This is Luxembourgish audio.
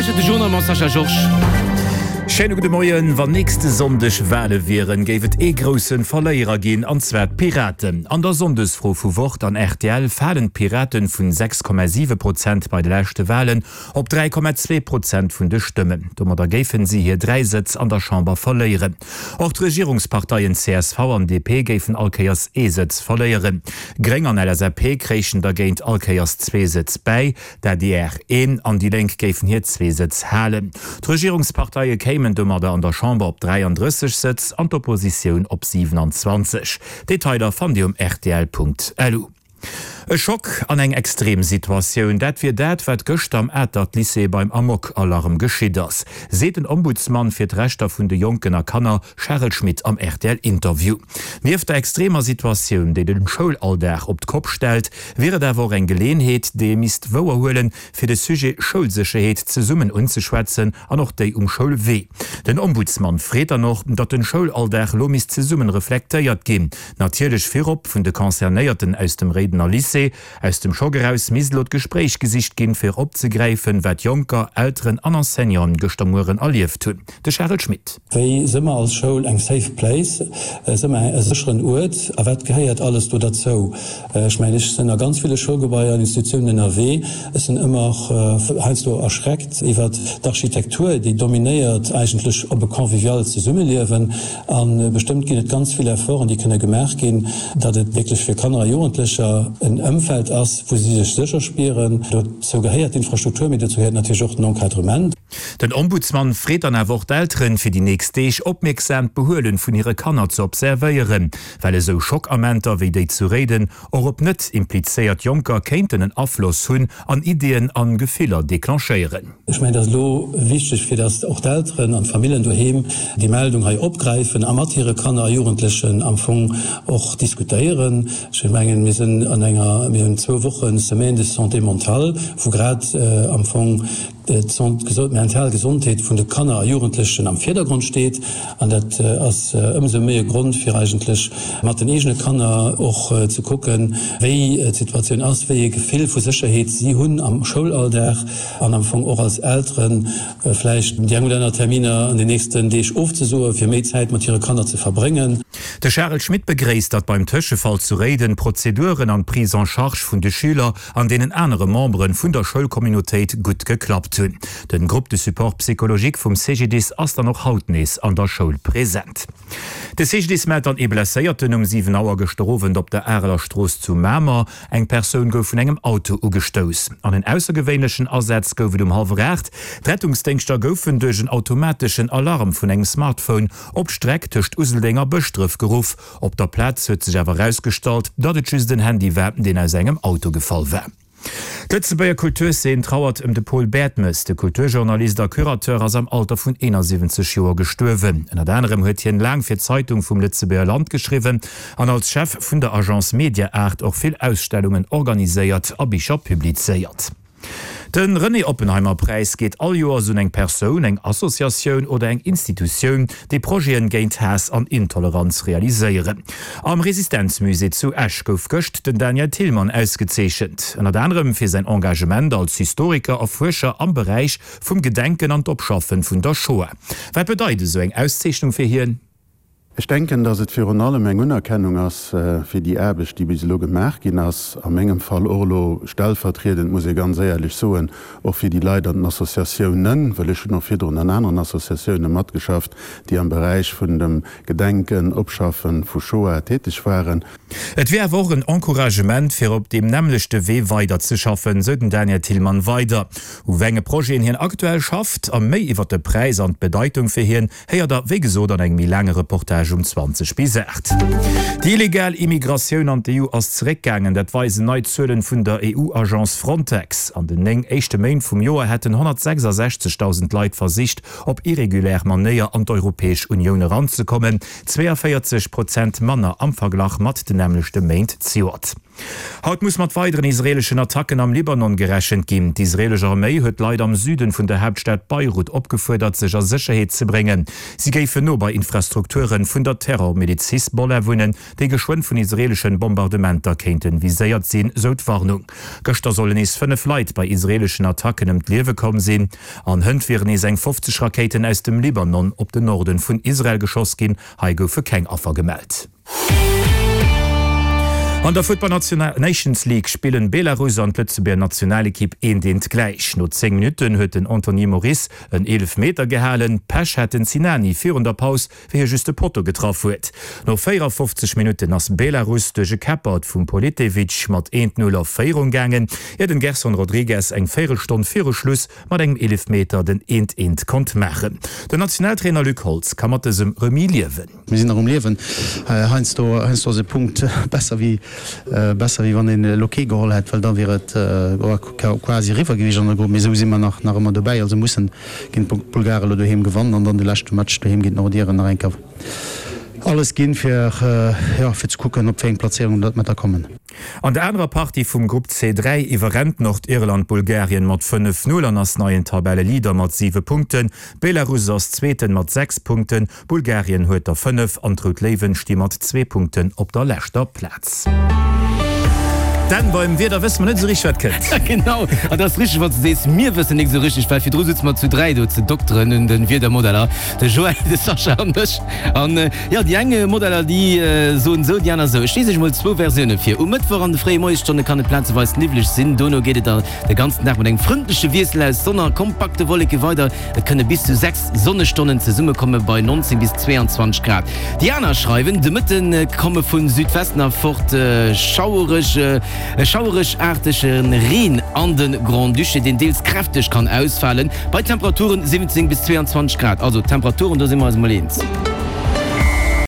lauschtert de Journal mam Sascha Georges. Schéine gudde Moien. Wann nächste Sonndeg Wale wieren, géif et ee grousse Verléierer ginn, an zwar d'Piraten. An der Sonndesfro vu Wort an rtl falen d'Piraten vun 6,7 Prozent bei de leschte Walen op 3,2 Prozent vun de Stëmmen. Domadder géifen si hir 3 Sëtz an der Chamber verléieren. Och d'Regierungsparteien csv an DP géifen all Kéiers ee Sëtz verléieren. Gréng an LSAP kréichen dergéint all Kéiers zwee Sëtz bäi, d'ADR een an déi Lénk géifen hir zwee Sëtz halen. D'Regierungsparteie kéimen domadder an der Chamber op 33 Sëtz an d'Oppositioun op 27. Detailer fannt Dir um rtl.lu. E Schock an eng extrem Situatioun, dat wier dat, wat gëschter am Atert Lycée beim Amok-Alarm geschitt ass, seet den Ombudsman fir d'Rechter vun de Jonken a Kanner Charel Schmit am RTL-Interview. Nieft der extremer Situatioun, déi de Schoulalldag op d'Kopp stellt, wier et awer och eng Geleeënheet, déi ee misst wouerhuelen, fir de Sujet Schoulsécherheet zesummen unzeschwätzen an och déi um Schoulwee. Den Ombudsman freet dann och, datt den Schoulalldag elo misst zesummen reflektéiert ginn, Natierlech virop vun de Concernéierten aus dem Réidener Lycée. Aus dem Schock eraus misst elo d'Gespréich gesicht ginn, fir opzegräifen, wat Jonker, Elteren an Enseignanten gëschter Mueren erlieft hunn. De Charel Schmit. Wéi si mer als Schoul eng safe place? Si mer e sécheren Uert? A wat gehéiert alles do derzou? Ech mengen, ech sinn a ganz ville Schoulgebaier an Institutiounen ënnerwee. Ech sinn ëmmer heiansdo erschreckt iwwert d'Architektur, déi dominéiert eigentlech op e convivialt Zesummeliewen. A bestëmmt ginn et ganz vill Efforten, déi kënne gemaach ginn, datt et wierklech fir Kanner a Jugendlecher en Ëmfeld ass, wou si sech sécher spieren. Dozou gehéiert d'Infrastruktur, mee dozou gehéiert natierlech och den Encadrement. Den Ombudsman freet dann awer och d'Elteren, fir déi nächst Deeg opmierksam d'Behuelen vun hire Kanner ze observéieren, well esou Schockamenter wéi déi zu Réiden och op net implizéiert Jonker kéinten en Afloss hunn an Ideeën an Gefiller declenchéieren. Ech mengen, et ass elo wichteg, fir datt och d'Elteren an d'Famillen doheem déi Meldung hei opgräifen a mat hire Kanner a Jugendlechen am Fong och diskutéieren. Ech mengen, mir sinn an enger, mir hunn zwou Woche Semaine de santé mentale, wou grad am Fong d'mental Gesondheet vun de Kanner a Jugendlechen am Virdergrond steet. An dat ass ëmsou méi e Grond, fir eigentlech mat den eegene Kanner och ze kucken, wéi d'Situatioun ass, wéi ee Gefill vu Sécherheet si hunn am Schoulalldag. An am Fong och als Eltere vläicht déi eng oder aner Terminer an den nächsten Deeg ofzesoen, fir méi Zäit mat hire Kanner ze verbréngen. De Charel Schmit begréisst, datt beim Tëschefall zu Réiden d'Prozeduren an d'Prise en charge vun de Schüler an deenen anere Membere vun der Schoulcommunautéit gutt geklappt hunn. Den Groupe de support psychologique vum CGDIS ass dann och haut nees an der Schoul present. De CGDIS mellt dann ee Blesséierten um 7 Auer gëschter Owend op der Areler Strooss zu Mamer. Eng Persoun gouf vun engem Auto ugestouss. An en aussergewéinlechen Asaz gouf et um hallwer 8. D'Rettungsdéngschter goufen duerch en automateschen Alarm vun engem Smartphone op d'Streck tëscht Useldeng a Bëschdref geruff. Op der Plaz huet sech awer erausgestallt, datt et just en Handy war, deen aus engem Auto gefall war. D'Lëtzebuerger Kulturzeen trauert ëm de Paul Bertmes. De Kulturjournalist a Curateur ass am Alter vun 71 Joer gestuerwen. Ënnert anerem huet hien laang fir d'Zeitung vum Lëtzebuerger Land geschriwwen an als Chef vun der Agence Media-Art och vill Ausstellungen organiséiert a Bicher publizéiert. De René Oppenheimer Präis geet all Joers un eng Persoun, eng Associatioun oder eng Institutioun, déi Projeten géint Haass an Intoleranz realiséieren. Am Resistenzmusée zu Esch gouf gëscht den Daniel Thilmann ausgezeechent, ënnert anerem fir säin Engagement als Historiker a Fuerscher am Beräich vum Gedenken an d'Opschaffen vun der Shoah. Wat bedeit esou eng Auszeechnung fir hien? Ech denken, dass et virun allem eng Unerkennung ass fir déi Aarbecht, déi bis elo gemaach ginn ass, a mengem Fall och elo stellvertriedend, muss ee ganz éierlech soen, och fir déi Leit an den Associatiounen, well ech hunn och virdrun an aneren Associatiounen matgeschafft, déi am Beräich vun dem Gedenken, Opschaffen vu Shoah täteg waren. Et wier awer och en Encouragement, fir op deem nämmlechte Wee weiderzeschaffen, sou den Daniel Thilmann weider. U wéi enge Projeten hien aktuell schafft a méi iwwer de Präis an d'Bedeitung fir hien, Héiert der wéi gesot an engem méi laange Reportage um 20 bis 8. Déi illegal Immigratioun an d'EU ass zeréckgaangen, dat weisen nei Zuelen vun der EU-Agence Frontex. An den 9 éischte Méint vum Joer hätten 166.000 Leit versicht, op irregulär Manéier an d'Europäesch Unioun eranzekommen, 42 Prozent manner am Verglach mat den nämmlechte Méint zejoert. Haut muss mat weideren israeeleschen Attacken am Libanon gerechent ginn. D'israeelesch Arméi huet d'Leit am Süden vun der Haaptstad Beirut opgefuerdert, sech a Sécherheet ze bréngen. Si géifen no bei Infrastrukture vun der Terrormiliz Hisbollah wunnen, déi geschwënn vun israeeleschen Bombardementer kéinten viséiert sinn, sou d'Warnung. Gëschter sollen nees 5 Leit bei israeeleschen Attacken ëm d'Liewe komm sinn. An hënt wieren nees eng 50 Rakéiten aus dem Libanon op den Norden vun Israel geschoss ginn. Hei goufe keng Affer gemellt. An der Futtball Nations League spillen Belarus an d'Lëtzebuerger Nationalekipp eent eent gläich. No 10 Minutten huet den Anthony Moris en Eelefmeter gehalen. Pech hat den Sinani virun der Paus, wéi hie just de Potto getraff huet. No 54 Minutten ass Belarus duerch e Käppert vum Politevich mat 1, 0 a Féierung gaangen, ier den Gerson Rodrigues eng Véierelstonn viru Schluss mat engem Eelefmeter den 1, 1 konnt maachen. Den Nationaltrainer Luc Holtz ka mat dësem Remis liewen. Mir sinn nach um Liewen. Heiansdo, heiansdo ass e Punkt besser wéi, besser wéi wann een elo kee geholl hätt, well da wier et quasi eriwwer gewiescht an der Grupp. Mee esou si mer nach, nach ëmmer dobäi. Also mussen géint d'Bulgare elo doheem gewannen an dann de leschte Match doheem géint d'Nordiren nach eng Kéier alles ginn, fir, jo, fir ze kucken, op wéi eng Plazéierung datt mer da kommen. An der anerer Partie vum Grupp C3 iwwerrennt Nordirland Bulgarien mat 5, 0 an ass neien Tabelleleader mat 7 Punkten. Belarus ass Zweeten mat 6 Punkten. Bulgarien huet der 5 an d'Rout Léiwen sti mat zwee Punkten op der leschter Plaz. Dan, beim Wieder wësse mer net esou richteg wat kënnt. Genau, an dat ass richteg wann s de sees, mir wëssen nik esou richteg, well virdru sutze mer zu 3 do ze dokteren un de Wiedermodeller, de Joël, de Sascha an ech. An jo, déi eng Modeller déi soen esou, déi aner esou. Ech lies iech emol zwou Versioune vir. Um Mëttwoch an de fréie Moiesstonne kann et plazeweis niwwleg sinn, dono geet et da de ganzen Dag mat engem frëndleche Wiessel aus Sonn a kompakte Wolleke weider. Et kënne bis zu 6 Sonnestonnen zesummekomme bei 19 bis 22 Grad. Déi aner schreiwen, De Mëtte komme vu Südwesten erfort schauereg, e schaueregaartege Reen an de Grand-Duché, deen deels kräfteg kann ausfalen, bei Temperaturen 17 bis 22 Grad. Also d'Temperaturen, do si mer eis emol eens.